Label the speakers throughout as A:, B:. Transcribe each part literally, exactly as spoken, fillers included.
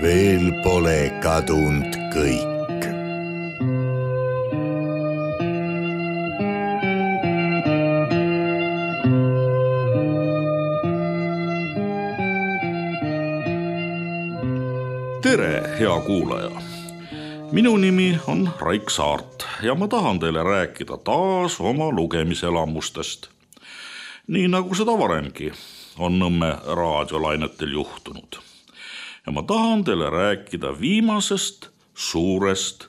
A: veel pole kadunud kõik.
B: Tere, hea kuulaja! Minu nimi on Raik Saart ja ma tahan teile rääkida taas oma lugemiselamustest. Nii nagu seda varemgi on Nõmme raadiolainetel juhtunud. Ja ma tahan teile rääkida viimasest suurest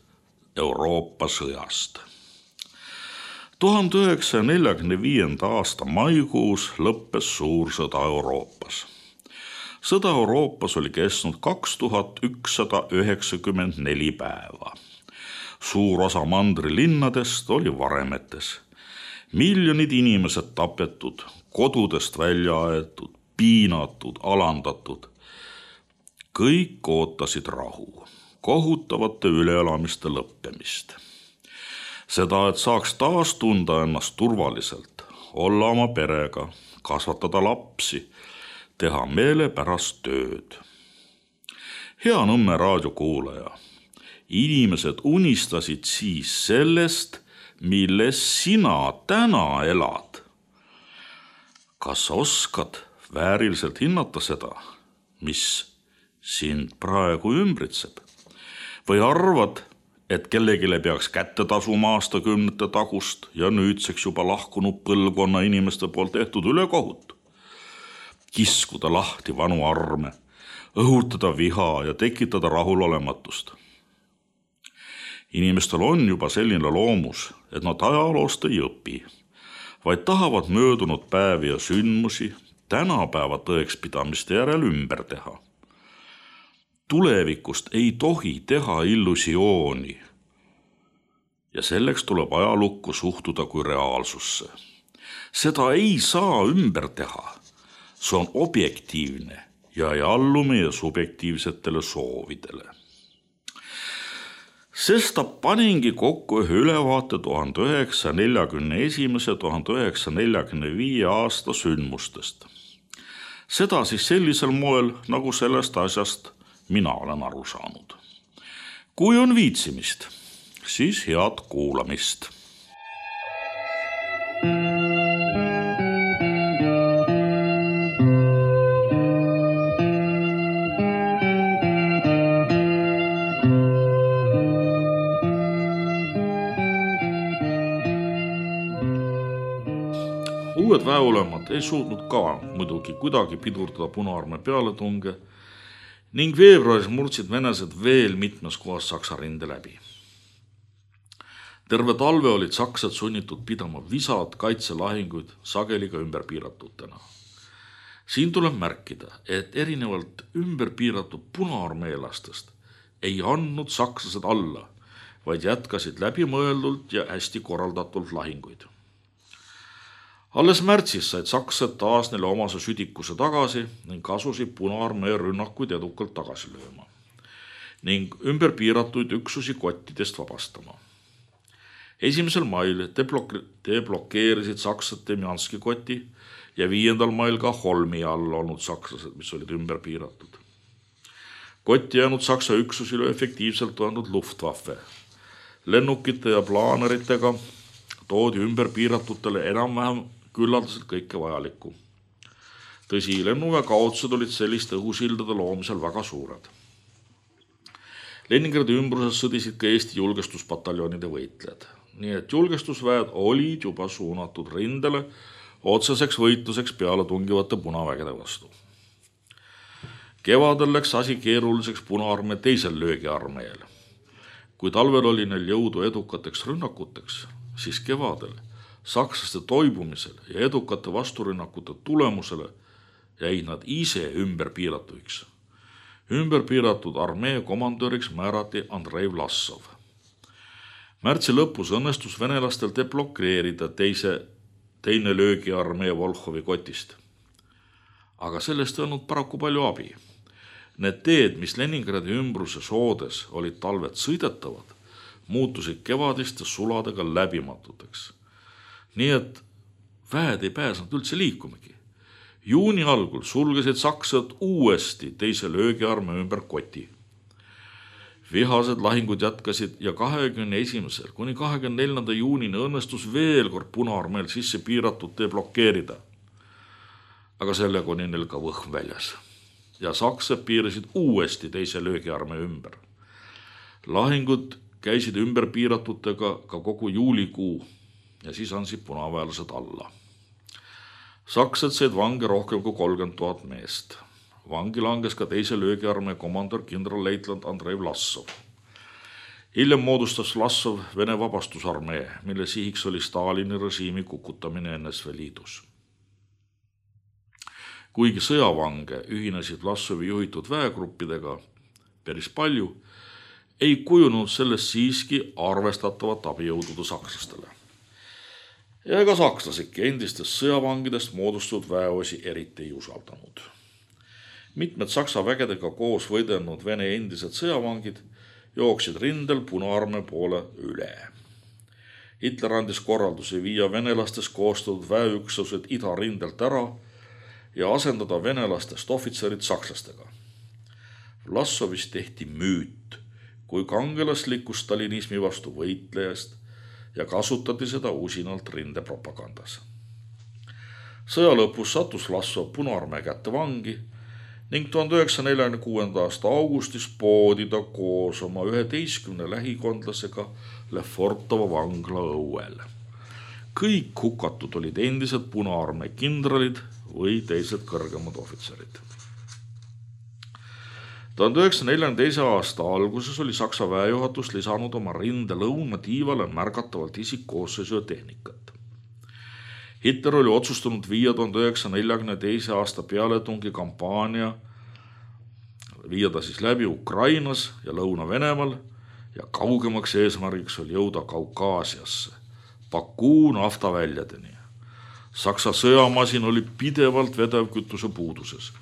B: Euroopa sõjast. tuhande üheksasaja neljakümne viienda aasta maikuus lõppes suur sõda Euroopas. Sõda Euroopas oli kestnud kaks tuhat ükssada üheksakümmend neli päeva. Suur osa mandri linnadest oli varemetes. Miljonid inimesed tapetud, kodudest välja aetud, piinatud, alandatud. Kõik ootasid rahu, kohutavate üleelamiste lõppemist. Seda, et saaks taas tunda ennast turvaliselt, olla oma perega, kasvatada lapsi, teha meelepärast tööd. Hea Nõmme raadiokuulaja, inimesed unistasid siis sellest, milles sina täna elad. Kas oskad vääriliselt hinnata seda, mis sind praegu ümbritseb? Või arvad, et kellegile peaks kätte tasuma aastakümnete tagust ja nüüdseks juba lahkunud põlvkonna inimeste poolt tehtud ülekohut? Kiskuda lahti vanu arme, õhutada viha ja tekitada rahulolematust. Inimestel on juba selline loomus, et nad ajaloost ei õpi, vaid tahavad möödunud päevi ja sündmusi tänapäeva tõekspidamiste järel ümber teha. Tulevikust ei tohi teha illusiooni ja selleks tuleb ajalukku suhtuda kui reaalsusse. Seda ei saa ümber teha. See on objektiivne ja ei allu meie subjektiivsetele soovidele. Sesta paningi kokku ühe ülevaate tuhande üheksasaja neljakümne esimese ja tuhande üheksasaja neljakümne viie aasta sündmustest. Seda siis sellisel moel, nagu sellest asjast mina olen aru saanud. Kui on viitsimist, siis head kuulamist. Uued väeolemad ei suutnud ka muidugi kuidagi pidurdada Punaarmee pealetunge ning veebruaris murdsid venelased veel mitmes kohas Saksa rinde läbi. Terve talve olid saksad sunnitud pidama visad kaitselahinguid sageli ka ümberpiiratutena. Siin tuleb märkida, et erinevalt ümberpiiratud punaarmeelastest ei andnud sakslased alla, vaid jätkasid läbimõeldult ja hästi korraldatult lahinguid. Alles märtsis said saksad taas neile omase südikuse tagasi ning kasusid Punaarmee rünnakuid edukalt tagasi lööma ning ümberpiiratuid üksusi kottidest vabastama. Esimesel mail deblokeerisid saksad Demjanski koti ja viiendal mail ka Holmi all olnud sakslased, mis olid ümberpiiratud. Kotti jäänud saksa üksusi löö efektiivselt olnud Luftwaffe. Lennukite ja plaaneritega toodi ümberpiiratutele enam-vähem küllaldaselt kõike vajalikku. Tõsi, lennuväe kaotused olid selliste õhusildade loomisel väga suured. Leningradi ümbruses sõdisid ka Eesti julgestuspataljonide võitlejad, nii et julgestusväed olid juba suunatud rindele otseseks võitluseks peale tungivate punavägede vastu. Kevadel läks asi keeruliseks Punaarmee teisel löögiarmeel. Kui talvel oli neil jõudu edukateks rünnakuteks, siis kevadel sakslaste toibumisel ja edukate vasturünnakute tulemusele jäid nad ise ümberpiiratuiks. Ümberpiiratud armee komandöriks määrati Andrei Vlassov. Märtsi lõpus õnnestus venelastel deblokeerida teise, teine löögiarmee Volhovi kotist. Aga sellest ei olnud paraku palju abi. Need teed, mis Leningradi ümbruse soodes olid talved sõidetavad, muutusid kevadiste suladega läbimatuteks. Nii et väed ei pääsenud üldse liikumegi. Juuni algul sulgesid saksad uuesti teise löögiarmee ümber koti. Vihased lahingud jätkasid ja kahekümne esimesel kuni kahekümne neljanda juunini õnnestus veel kord Punaarmeel sisse piiratud tee blokeerida. Aga sellega oli neil ka võhm väljas ja sakslased piirasid uuesti teise löögiarmee ümber. Lahingud käisid ümber piiratutega ka kogu juulikuu ja siis andsid punaväelased alla. Sakslased said vange rohkem kui kolmkümmend tuhat meest. Vangi langes ka teise löögiarmee komandör kindralleitnant Andrei Vlassov. Hiljem moodustas Vlassov Vene vabastusarmee, mille sihiks oli Stalini režiimi kukutamine N S V Liidus. Kuigi sõjavange ühinesid Vlassovi juhitud väegruppidega päris palju, ei kujunud sellest siiski arvestatavat abijõudude sakslastele. Ja ega sakslasidki endistest sõjavangidest moodustatud väeosi eriti ei usaldanud. Mitmed saksa vägedega koos võidelnud Vene endised sõjavangid jooksid rindel Punaarmee poole üle. Hitler andis korraldusi viia venelastest koostatud väeüksused idarindelt ära ja asendada venelastest ohvitserid sakslastega. Vlassovist tehti müüt kui kangelaslikku stalinismi vastu võitlejast ja kasutati seda usinalt rindepropagandas. Sõja lõpus sattus Vlassov Punaarmee kätte vangi ning tuhande üheksasaja neljakümne kuuenda aasta augustis poodi ta koos oma üheteistkümne lähikondlasega Lefortovo vangla õuel. Kõik hukatud olid endised Punaarmee kindralid või teised kõrgemad ohvitserid. tuhande üheksasaja neljakümne teise aasta alguses oli Saksa väejuhatus lisanud oma rinde lõunatiivale märgatavalt isikkoosseisu ja tehnikat. Hitler oli otsustanud viia tuhande üheksasaja neljakümne teise aasta pealetungi kampaania viia ta siis läbi Ukrainas ja Lõuna-Venemaal ja kaugemaks eesmärgiks oli jõuda Kaukaasiasse, Bakuu naftaväljadeni. Saksa sõjamasin oli pidevalt vedevkütuse puuduses,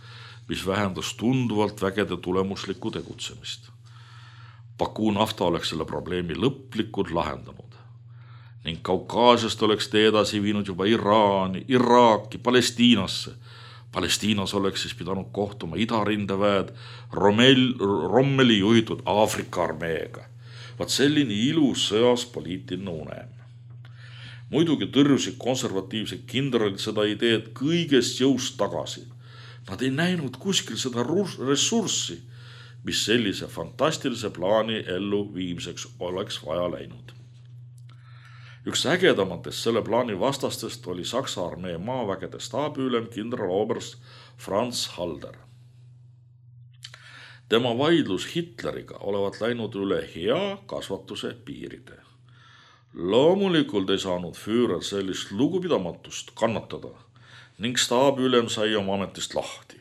B: mis vähendas tunduvalt vägede tulemuslikku tegutsemist. Bakuu nafta oleks selle probleemi lõplikult lahendanud ning Kaukaasiast oleks tee edasi viinud juba Iraani, Iraaki, Palestiinasse. Palestiinas oleks siis pidanud kohtuma idarindeväed Rommel, Rommeli juhitud Aafrika armeega. Vaat selline ilus sõjas poliitiline unem. Muidugi tõrjusid konservatiivsed kindralid seda ideed kõigest jõust tagasi. Nad ei näinud kuskil seda ressurssi, mis sellise fantastilise plaani ellu viimseks oleks vaja läinud. Üks ägedamatest selle plaani vastastest oli Saksa armee maavägede staabiülem kindraloberst Franz Halder. Tema vaidlus Hitleriga olevat läinud üle hea kasvatuse piiride. Loomulikult ei saanud Führer sellist lugupidamatust kannatada ning staabiülem sai oma ametist lahti.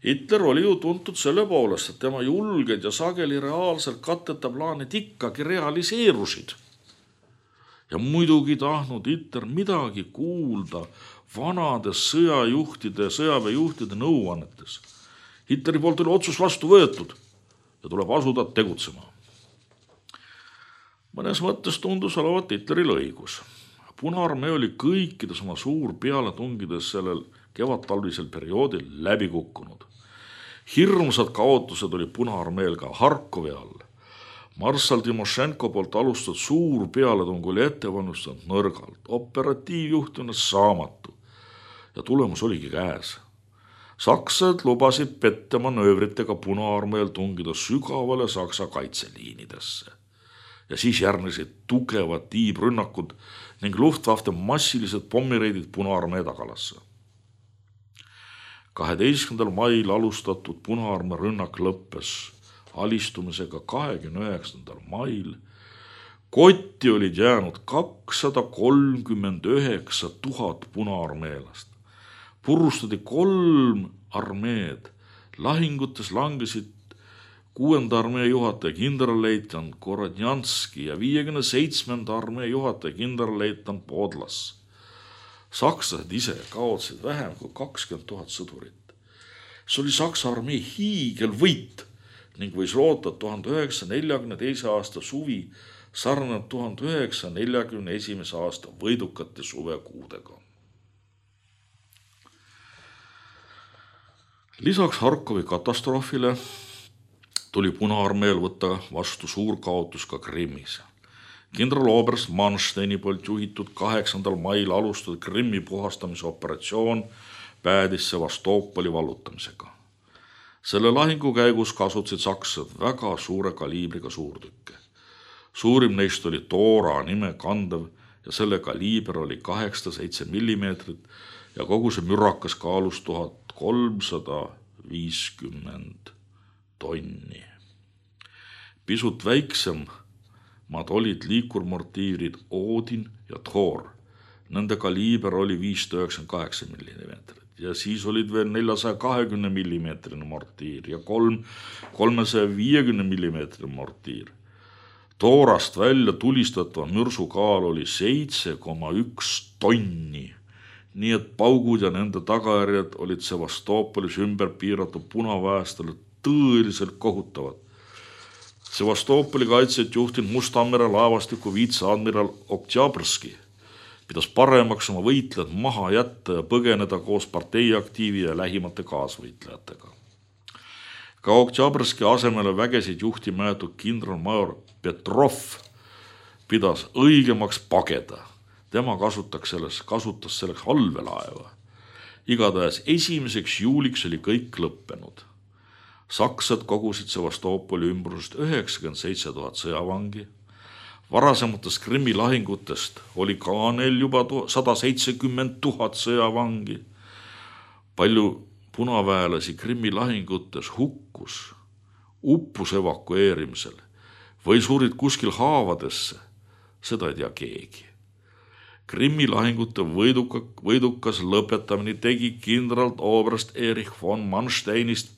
B: Hitler oli ju tuntud selle poolest, et tema julged ja sageli reaalselt katteta plaanid ikkagi realiseerusid. Ja muidugi tahtnud Hitler midagi kuulda vanade sõjajuhtide ja sõjaväejuhtide nõuannetes. Hitleri poolt oli otsus vastu võetud ja tuleb asuda tegutsema. Mõnes mõttes tundus olevat Hitleril õigus. Punaarmee oli kõikides oma suur pealetungides sellel kevadtalvisel perioodil läbi kukkunud. Hirmsad kaotused oli Punaarmeel ka Harkovi all. Marssal Timošenko poolt alustatud suur pealetung oli ettevalmistanud nõrgalt, operatiivjuhtina saamatu ja tulemus oligi käes. Saksad lubasid pette manöövritega Punaarmeel tungida sügavale Saksa kaitseliinidesse ja siis järgnesid tugevad tiibrünnakud ning Luftwaffe massilised pommireidid Punaarmee tagalasse. kaheteistkümnendal mail alustatud Punaarmee rünnak lõppes alistumisega kahekümne üheksandal mail. Kotti olid jäänud kakssada kolmkümmend üheksa tuhat punaarmeelast. Purustati kolm armeed. Lahingutes langesid kuuenda armee juhataja kindralleitnant Korodnjanski ja viiekümne seitsmenda armee juhataja kindralleitnant Podlas. Sakslased ise kaotsid vähem kui kakskümmend tuhat sõdurit. See oli Saksa armee hiigelvõit ning võis loota tuhande üheksasaja neljakümne teise aasta suvi sarnaneb tuhande üheksasaja neljakümne esimese aasta võidukate suvekuudega. Lisaks Harkovi katastroofile tuli Punaarmeel võtta vastu suur kaotus ka Krimmis. Kindral oberst Mansteini poolt juhitud kaheksandal mail alustatud Krimmi puhastamise operatsioon päädis Sevastopoli vallutamisega. Selle lahingu käigus kasutasid sakslased väga suure kaliibriga suurtükke. Suurim neist oli Tora nime kandev ja selle kaliiber oli kaheksasada seitse millimeetrit ja kogu see mürakas kaalus tuhat kolmsada viiskümmend tonni. Pisut väiksemad olid liikurmortiirid Odin ja Thor. Nende kaliiber oli viissada üheksakümmend kaheksa millimeetrit ja siis olid veel neljasaja kahekümne millimeetrine mortiir ja kolm kolmesaja viiekümne millimeetrine mortiir. Toorast välja tulistatava mürsu kaal oli seitse koma üks tonni, nii et paugud ja nende tagajärjed olid Sevastopolis ümber piiratud punaväestele tõeliselt kohutavad. Sevastopoli kaitset juhtinud Mustamere laevastiku viitseadmiral Oktjabrski pidas paremaks oma võitlejad maha jätta ja põgeneda koos parteiaktiivi ja lähimate kaasvõitlejatega. Ka Oktjabrski asemele vägesid juhtima jäetud kindralmajor Petrov pidas õigemaks pageda. Tema kasutas selleks, kasutas selleks allveelaeva. Igatahes esimeseks juuliks oli kõik lõppenud. Saksad kogusid Sevastopoli ümbrusest üheksakümmend seitse tuhat sõjavangi. Varasematest Krimmi lahingutest oli ka neil juba sada seitsekümmend tuhat sõjavangi. Palju punaväelasi Krimmi lahingutes hukkus, uppus evakueerimisel või surid kuskil haavadesse, seda ei tea keegi. Krimmi lahingute võiduka, võidukas lõpetamine tegi kindral oberst Erich von Mansteinist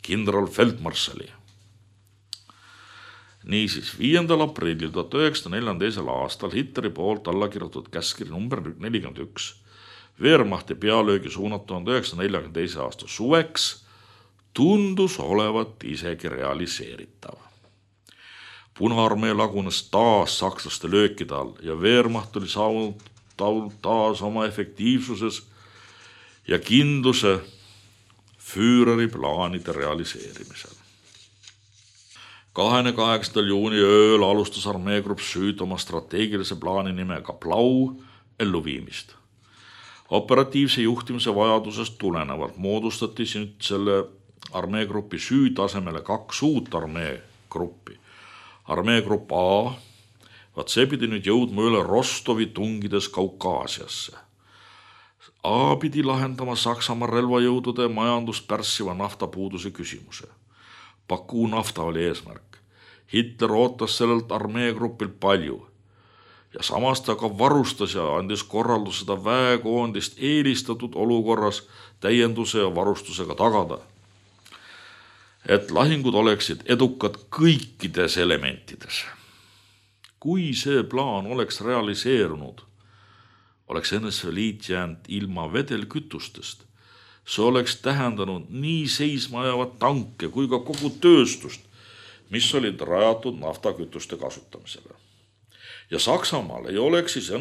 B: kindral feldmarssali. Niisiis, viiendal aprillil tuhat üheksasada neljakümne teisel aastal Hitleri poolt alla kirjutatud käskkiri number nelikümmend üks Wehrmachti pealöögi suunat tuhande üheksasaja neljakümne teise aasta suveks tundus olevat isegi realiseeritav. Punaarmee lagunes taas sakslaste löökide all ja Wehrmacht oli saanud taas oma efektiivsuses ja kindluse Führeri plaanide realiseerimisel. kahekümne kaheksandal juuni ööl alustas armeegrupp Süd oma strateegilise plaani nimega Blau elluviimist. Operatiivse juhtimise vajadusest tulenevalt moodustati nüüd selle armeegrupi Süd asemele kaks uut armeegruppi. Armeegrupp A, vaat see pidi nüüd jõudma üle Rostovi tungides Kaukaasiasse. A pidi lahendama Saksamaa relvajõudude majandust pärssiva naftapuuduse küsimuse. Baku nafta oli eesmärk. Hitler ootas sellelt armeegrupilt palju ja samas ta ka varustas ja andis korraldus seda väekoondist eelistatud olukorras täienduse ja varustusega tagada, et lahingud oleksid edukad kõikides elementides. Kui see plaan oleks realiseerunud, oleks N S V Liit jäänud ilma vedelkütustest. See oleks tähendanud nii seisma jäävat tanke kui ka kogu tööstust, mis olid rajatud naftakütuste kasutamisele. Ja Saksamaal ei oleks siis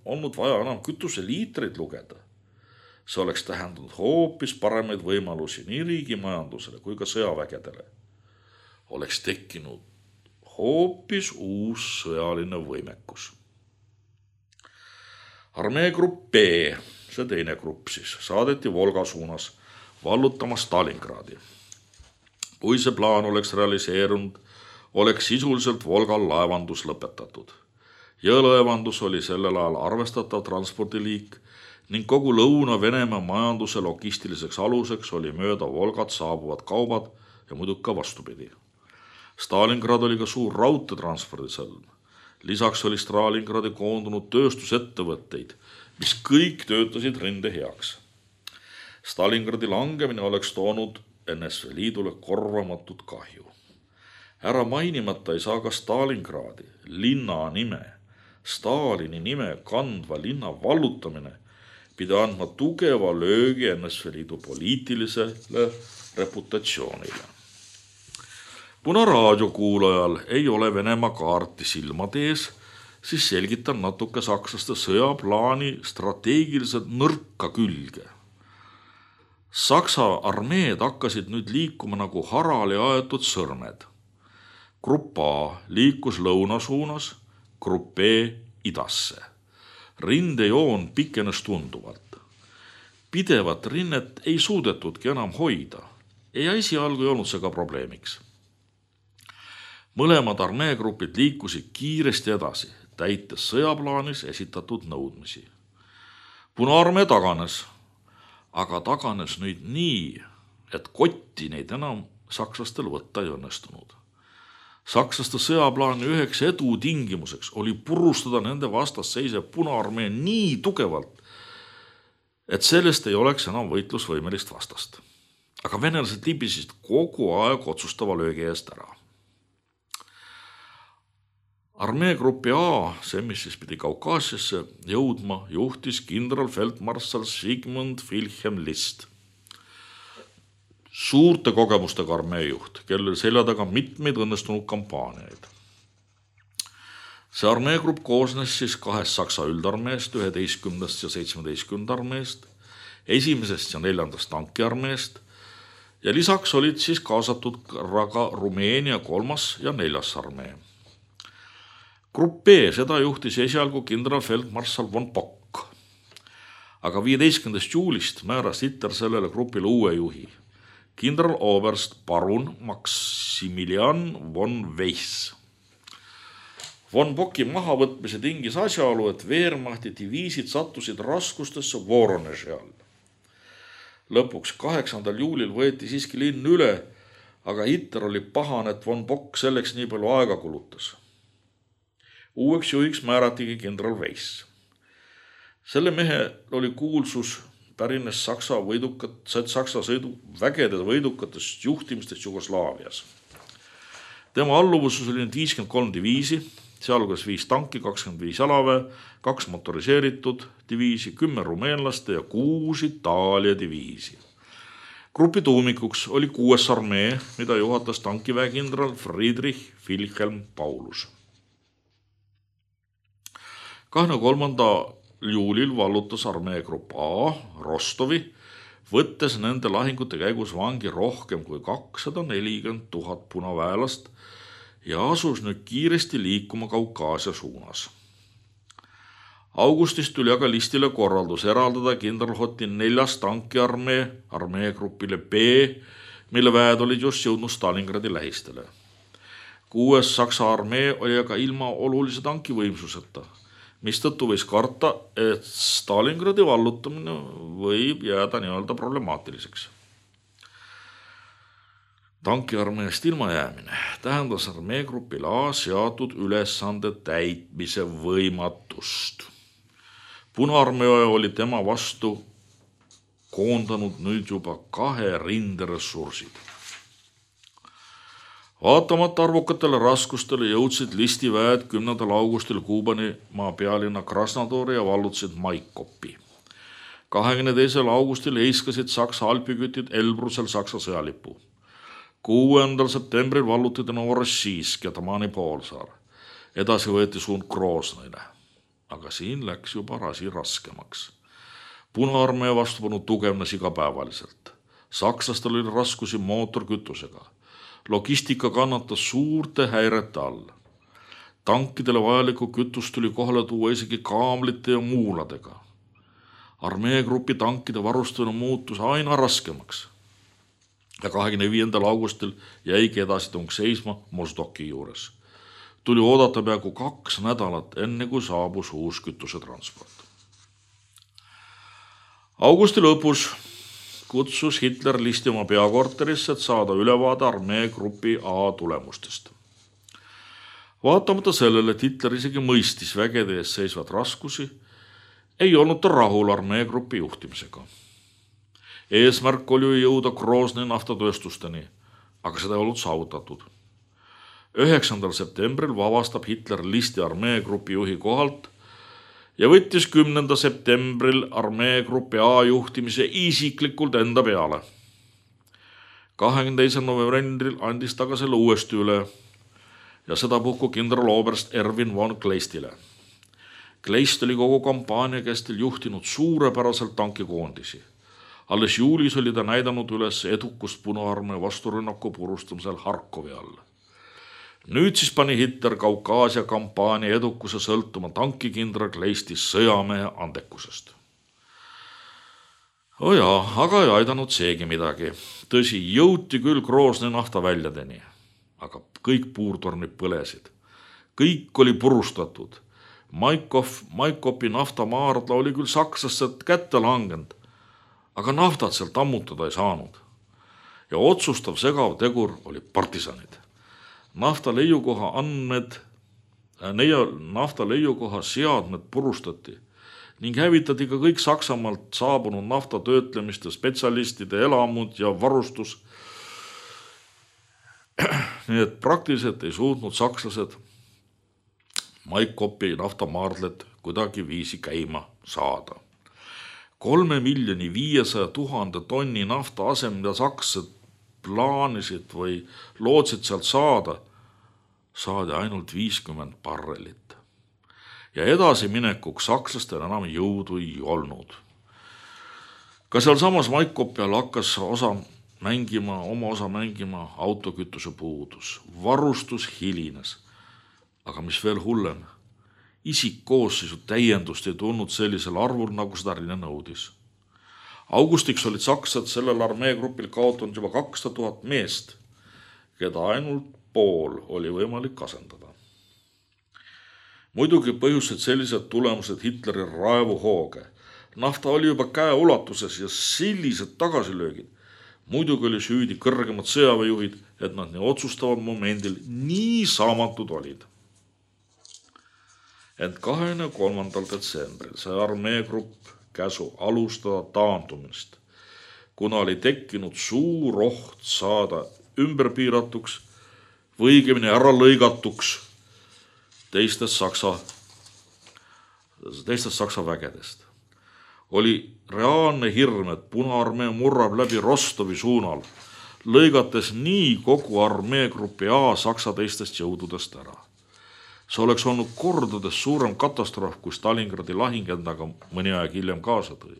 B: olnud vaja enam kütuseliitreid lugeda. See oleks tähendanud hoopis paremaid võimalusi nii riigimajandusele kui ka sõjavägedele. Oleks tekkinud hoopis uus sõjaline võimekus. Armeegrupp B, see teine grupp siis, saadeti Volga suunas vallutama Stalingradi. Kui see plaan oleks realiseerunud, oleks sisuliselt Volgal laevandus lõpetatud. Jõelaevandus oli sellel ajal arvestatav transpordiliik ning kogu Lõuna-Venemaa majanduse logistiliseks aluseks oli mööda Volgat saabuvad kaubad ja muidugi ka vastupidi. Stalingrad oli ka suur raudteetranspordisõlm. Lisaks oli Stalingradi koondunud tööstusettevõtteid, mis kõik töötasid rinde heaks. Stalingradi langemine oleks toonud N S V Liidule korvamatut kahju. Ära mainimata ei saa ka Stalingradi linna nime, Stalini nime kandva linna vallutamine pidi andma tugeva löögi N S V Liidu poliitilisele reputatsioonile. Kuna raadiokuulajal ei ole Venemaa kaarti silmade ees, siis selgitan natuke sakslaste sõjaplaani strateegiliselt nõrka külge. Saksa armeed hakkasid nüüd liikuma nagu harali aetud sõrmed. Grupp A liikus lõuna suunas, grupp B idasse. Rindejoon pikenes tunduvalt. Pidevat rinnet ei suudetudki enam hoida ja esialgu ei olnud see ka probleemiks. Mõlemad armeegrupid liikusid kiiresti edasi, täites sõjaplaanis esitatud nõudmisi. Punaarmee taganes, aga taganes nüüd nii, et kotti neid enam sakslastel võtta ei õnnestunud. Sakslaste sõjaplaani üheks edu tingimuseks oli purustada nende vastas seisev Punaarmee nii tugevalt, et sellest ei oleks enam võitlusvõimelist vastast. Aga venelased libisid kogu aeg otsustava löögi eest ära. Armeegruppi A, see mis siis pidi Kaukaasiasse jõudma, juhtis kindralfeldmarssal Sigmund Wilhelm List. Suurte kogemustega armeejuht, kellel selja taga mitmeid õnnestunud kampaaniaid. See armeegrupp koosnes siis kahest Saksa üldarmeest, üheteistkümnendast ja seitsmeteistkümnendast armeest, esimesest ja neljandast tankiarmeest ja lisaks olid siis kaasatud ka Rumeenia kolmas ja neljas armee. Grupp B, seda juhtis esialgu kindralfeldmarssal von Bock, aga viieteistkümnendast juulist määras Hitler sellele grupile uue juhi. Kindraloberst parun Maximilian von Weiss. Von Bocki mahavõtmise tingis asjaolu, et Wehrmachti diviisid sattusid raskustesse Voroneži all. Lõpuks kaheksandal juulil võeti siiski linn üle, aga Hitler oli pahane, et von Bock selleks nii palju aega kulutas. Uueks juhiks määratigi kindral Weiss. Selle mehe oli kuulsus pärines Saksa, võidukat, Saksa sõidu, vägede võidukatest juhtimistest Jugoslaavias. Tema alluvuses oli nüüd viiskümmend kolm diviisi, sealhulgas viis tanki, kakskümmend viis jalaväe, kaks motoriseeritud diviisi, kümme rumeenlaste ja kuus Itaalia diviisi. Grupi tuumikuks oli kuues armee, mida juhatas tankiväekindral Friedrich Wilhelm Paulus. kahekümne kolmandal juulil vallutas armeegrupp A Rostovi, võttes nende lahingute käigus vangi rohkem kui kakssada nelikümmend tuhat punaväelast ja asus nüüd kiiresti liikuma Kaukaasia suunas. Augustis tuli aga Listile korraldus eraldada kindralhoti neljas tankiarmee armeegrupile B, mille väed olid just jõudnud Stalingradi lähistele. Kuues Saksa armee oli aga ilma olulise tankivõimsuseta, mistõttu võis karta, et Stalingradi vallutamine võib jääda nii-öelda problemaatiliseks. Tankiarmeest ilma jäämine tähendas armeegrupil A seatud ülesande täitmise võimatust. Punaarmee oli tema vastu koondanud nüüd juba kahe rinderessursid. Vaatamata arvukatele raskustele jõudsid Listi väed kümnendal augustil Kuubani maa pealinna Krasnodari ja vallutasid Maikopi. kahekümne teisel augustil heiskasid Saksa alpikütid Elbrusel Saksa sõjalipu. kuuendal septembril vallutati Novorossijsk ja Tamani poolsaar. Edasi võeti suund Groznile. Aga siin läks juba rasi raskemaks. Punaarmee vastupanu tugevnes igapäevaliselt. Sakslastel oli raskusi mootorkütusega. Logistika kannatas suurte häirete all. Tankidele vajalikku kütust tuli kohale tuua isegi kaamlite ja muuladega. Armeegrupi tankide varustamine muutus aina raskemaks. Ja kahekümne viiendal augustil jäigi edasitung seisma Mozdoki juures. Tuli oodata peaaegu kaks nädalat enne kui saabus uus kütuse transport. Augusti lõpus kutsus Hitler Listi oma peakorterisse, et saada ülevaade armeegrupi A tulemustest. Vaatamata sellele, et Hitler isegi mõistis vägede ees seisvad raskusi, ei olnud ta rahul armeegrupi juhtimisega. Eesmärk oli jõuda Grozni naftatööstusteni, aga seda ei olnud saavutatud. üheksandal septembril vabastab Hitler Listi armeegrupi juhi kohalt ja võttis kümnendal septembril armeegrupi A juhtimise isiklikult enda peale. kahekümne teisel novembril andis ta ka selle uuesti üle ja seda puhku kindraloberst Erwin von Kleistile. Kleist oli kogu kampaania kestel juhtinud suurepäraselt tankikoondisi. Alles juulis oli ta näidanud üles edukust Punaarmee vasturünnaku purustamisel Harkovi all. Nüüd siis pani Hitler Kaukaasia kampaania edukuse sõltuma tankikindral Kleisti sõjamehe andekusest. O jaa, aga ei aidanud seegi midagi. Tõsi, jõuti küll Groznõi naftaväljadeni, aga kõik puurtornid põlesid. Kõik oli purustatud. Maikov, Maikopi naftamaardla oli küll sakslastelt kätte langenud, aga naftat sealt ammutada ei saanud. Ja otsustav segav tegur oli partisanid. Nafta leiukoha andmed, neia nafta leiukoha seadmed purustati ning hävitati ka kõik Saksamaalt saabunud nafta töötlemiste spetsialistide elamud ja varustus. Nii et praktiliselt ei suutnud sakslased Maikopi naftamaardlet kuidagi viisi käima saada. Kolme miljoni viiesaja tuhande tonni nafta asem, mida sakslased plaanisid või lootsid sealt saada, saadi ainult viiskümmend barrelit. Ja edasi minekuks sakslastel enam jõudu ei olnud. Ka seal samas Maikopi all hakkas osa mängima, oma osa mängima autokütuse puudus. Varustus hilines. Aga mis veel hullem, isikkoosseisu täiendust ei tulnud sellisel arvul, nagu seda Rine nõudis. Augustiks olid saksad sellel armeegrupil kaotanud juba kakssada tuhat meest, keda ainult pool oli võimalik asendada. Muidugi põhjused sellised tulemused Hitleri raevuhooge. Nafta oli juba käe ulatuses ja sellised tagasilöögid. Muidugi oli süüdi kõrgemad sõjaväejuhid, et nad nii otsustavad momendil nii saamatud olid. Ent kahekümne kolmandal detsembril sai armeegrupp käsu alustada taandumist, kuna oli tekkinud suur oht saada ümberpiiratuks või õigemini ära lõigatuks teistest Saksa, teistest Saksa vägedest. Oli reaalne hirm, et Punaarmee murrab läbi Rostovi suunal, lõigates nii kogu armeegrupi A Saksa teistest jõududest ära. See oleks olnud kordades suurem katastroof, kui Stalingradi lahing endaga mõni aeg hiljem kaasa tõi.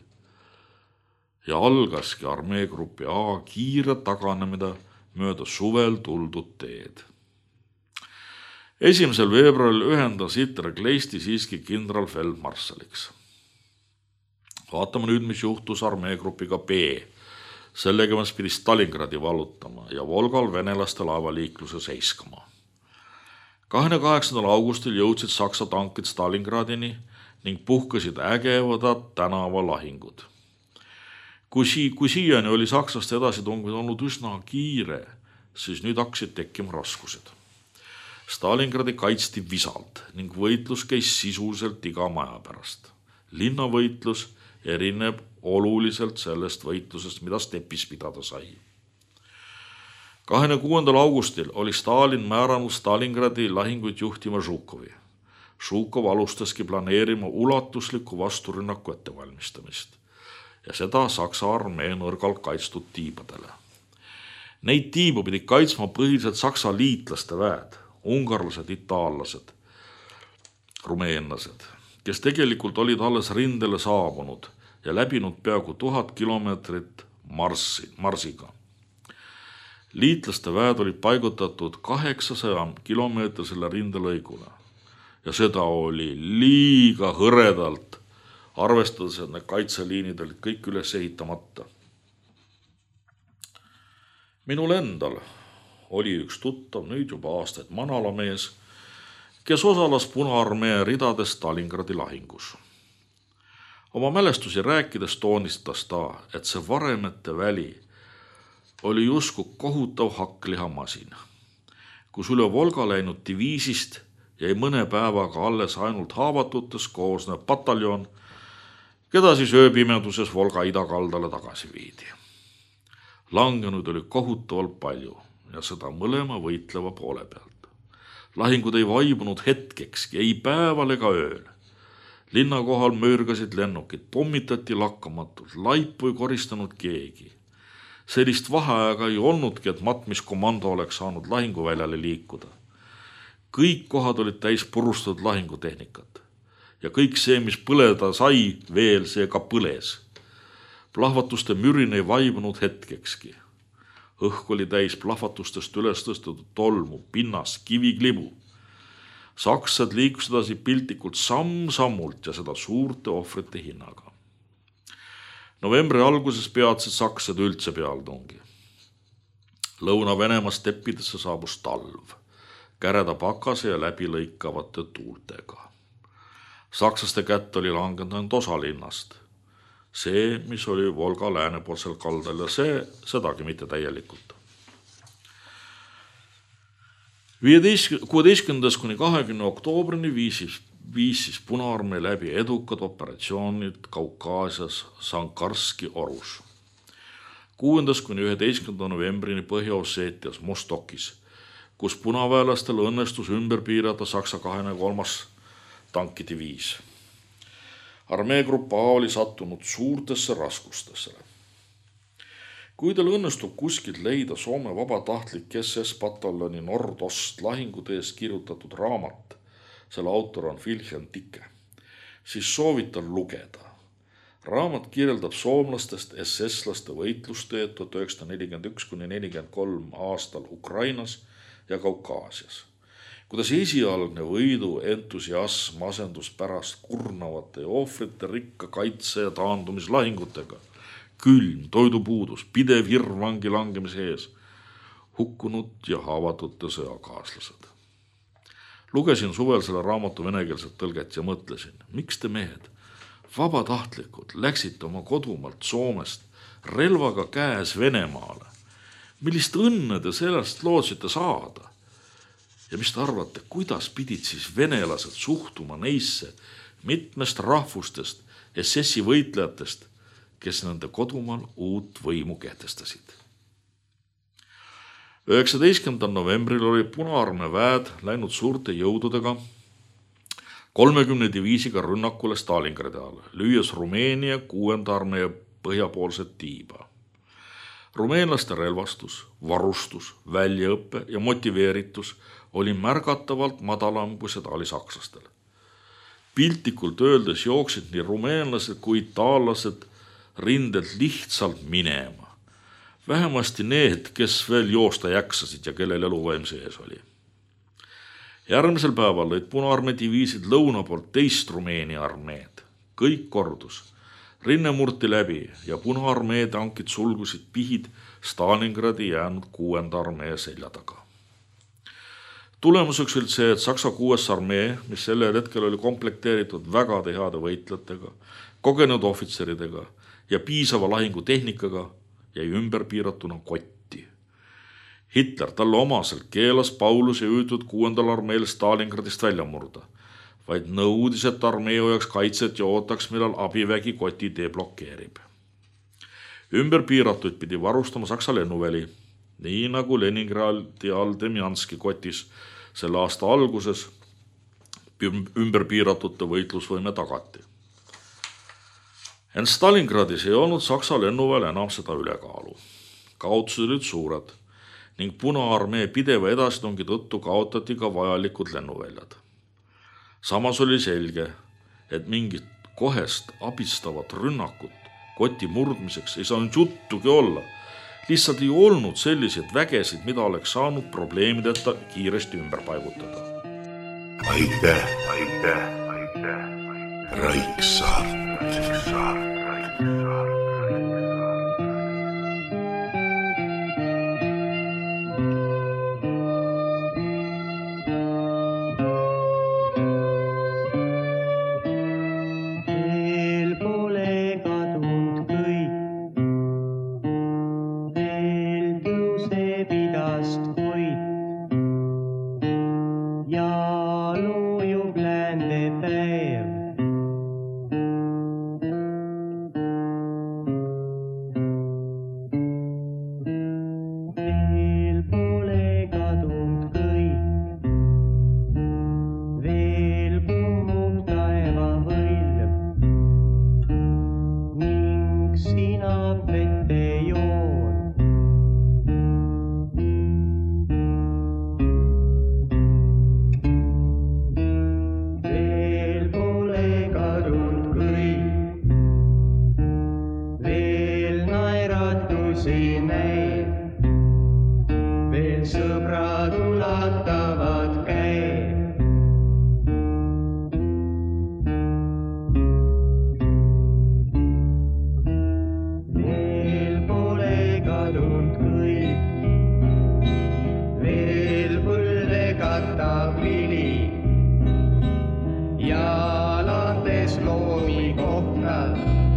B: Ja algaski armeegrupi A kiire taganemine mööda suvel tuldud teed. esimesel veebruaril ühendas Hitler Kleisti siiski kindralfeldmarssaliks. Vaatame nüüd, mis juhtus armeegrupiga B. Sellega mis pidi Stalingradi vallutama ja Volgal venelaste laevaliikluse seiskama. kahekümne kaheksandal augustil jõudsid Saksa tankid Stalingradini ning puhkasid ägevad tänavalahingud. Kui, si- kui siiani oli sakslaste edasitungid olnud üsna kiire, siis nüüd hakkasid tekkima raskused. Stalingradi kaitsti visalt ning võitlus käis sisuliselt iga maja pärast. Linnavõitlus erineb oluliselt sellest võitlusest, mida stepis pidada sai. kahekümne kuuendal augustil oli Stalin määranud Stalingradi lahinguid juhtima Žukovi. Žukov alustaski planeerima ulatuslikku vasturünnaku ettevalmistamist ja seda Saksa armee nõrgalt kaitstud tiibadele. Neid tiibu pidi kaitsma põhiliselt Saksa liitlaste väed, ungarlased, itaallased, rumeenlased, kes tegelikult olid alles rindele saabunud ja läbinud peaaegu tuhat kilomeetrit marssi, marsiga. Liitlaste väed olid paigutatud kaheksasaja kilomeetrisele rindelõigule ja seda oli liiga hõredalt, arvestades, et need kaitseliinid olid kõik üles ehitamata. Minul endal oli üks tuttav nüüd juba aastaid manalamees, kes osales Punaarmee ridades Stalingradi lahingus. Oma mälestusi rääkides toonistas ta, et see varemete väli oli jusku kohutav hakklihamasin, kus üle Volga läinud diviisist jäi mõne päevaga alles ainult haavatutes koosnev pataljon, keda siis ööpimeduses Volga idakaldale tagasi viidi. Langenud oli kohutavalt palju ja seda mõlema võitleva poole pealt. Lahingud ei vaibunud hetkekski, ei päeval ega ööl. Linna kohal möörgasid lennukid, pommitati lakkamatult, laipu ei koristanud keegi. Sellist vaheaega ei olnudki, et matmiskomando oleks saanud lahinguväljale liikuda. Kõik kohad olid täis purustatud lahingutehnikat ja kõik see, mis põleda sai, veel see ka põles. Plahvatuste mürin ei vaibunud hetkekski. Õhk oli täis plahvatustest üles tõstetud tolmu, pinnas, kiviklibu. Saksad liikusid edasi piltlikult samm-sammult ja seda suurte ohvrite hinnaga. Novembri alguses peatsid saksad üldse pealtungi. Lõuna-Venemaa steppidesse saabus talv, käreda pakase ja läbilõikavate tuultega. Saksaste kätt oli langenud ainult osa linnast. See, mis oli Volga läänepoolsel kaldal ja see, sedagi mitte täielikult. kuueteistkümnendast kuni kahekümne oktoobrini viisis, viisis Punaarmee läbi edukad operatsioonid Kaukaasias Sankarski orus. kuuendast kuni üheteistkümnenda novembrini Põhja-Osseetias Mostokis, kus punaväelastel õnnestus ümber piirata Saksa kahekümne kolmas tankidiviis. Armeegrupp A oli sattunud suurtesse raskustesse. Kui teil õnnestub kuskilt leida Soome vabatahtlik S S-pataljoni Nordost lahingude eest kirjutatud raamat, selle autor on Wilhelm Ticke, siis soovitan lugeda. Raamat kirjeldab soomlastest S S-laste võitlusteed tuhat üheksasada nelikümmend üks kuni nelikümmend kolm aastal Ukrainas ja Kaukaasias. Kuidas esialgne võidu entusiasm asendus pärast kurnavate ja ohvrite rikka kaitse ja taandumislahingutega, külm, toidupuudus, pidev hirm vangi langemise ees, hukkunud ja haavatute sõjakaaslased. Lugesin suvel selle raamatu venekeelset tõlget ja mõtlesin, miks te mehed, vabatahtlikud, läksite oma kodumaalt Soomest relvaga käes Venemaale. Millist õnne te sellest lootsite saada? Ja mis te arvate, kuidas pidid siis venelased suhtuma neisse mitmest rahvustest S S-i võitlejatest, kes nende kodumaal uut võimu kehtestasid? üheksateistkümnendal novembril oli Punaarmee väed läinud suurte jõududega kolmekümne diviisiga rünnakule Stalingradi all, lüües Rumeenia kuuenda armee põhjapoolset tiiba. Rumeenlaste relvastus, varustus, väljaõppe ja motiveeritus oli märgatavalt madalam, kui seda oli sakslastel. Piltlikult öeldes jooksid nii rumeenlased kui itaallased rindelt lihtsalt minema. Vähemasti need, kes veel joosta jaksasid ja kellel eluvaim sees oli. Järgmisel päeval lõid Punaarmee diviisid lõuna poolt teist Rumeenia armeed. Kõik kordus. Rinne murti läbi ja Punaarmee tankid sulgusid pihid Stalingradi jäänud kuuenda armee selja taga. Tulemuseks oli see, et Saksa kuues armee, mis sellel hetkel oli komplekteeritud väga heade võitlejatega, kogenud ohvitseridega ja piisava lahingutehnikaga, jäi ümber piiratuna kotti. Hitler talle omaselt keelas Pauluse juhitud kuuendal armeel Stalingradist välja murda, vaid nõudis, et armee hoiaks kaitset ja ootaks, millal abivägi koti deblokeerib. Ümber piiratuid pidi varustama Saksa lennuväli, nii nagu Leningradi all Demjanski kotis selle aasta alguses ümber piiratute võitlusvõime tagati. Ent Stalingradis ei olnud Saksa lennuväel enam seda ülekaalu. Kaotused olid suured ning Punaarmee pideva edasitungi tõttu kaotati ka vajalikud lennuväljad. Samas oli selge, et mingit kohest abistavat rünnakut koti murdmiseks ei saanud juttugi olla. Lihtsalt ei olnud selliseid vägesid, mida oleks saanud probleemideta kiiresti ümber paigutada.
A: Aitäh, aitäh, aitäh, Raiksaart.
C: hommikohta.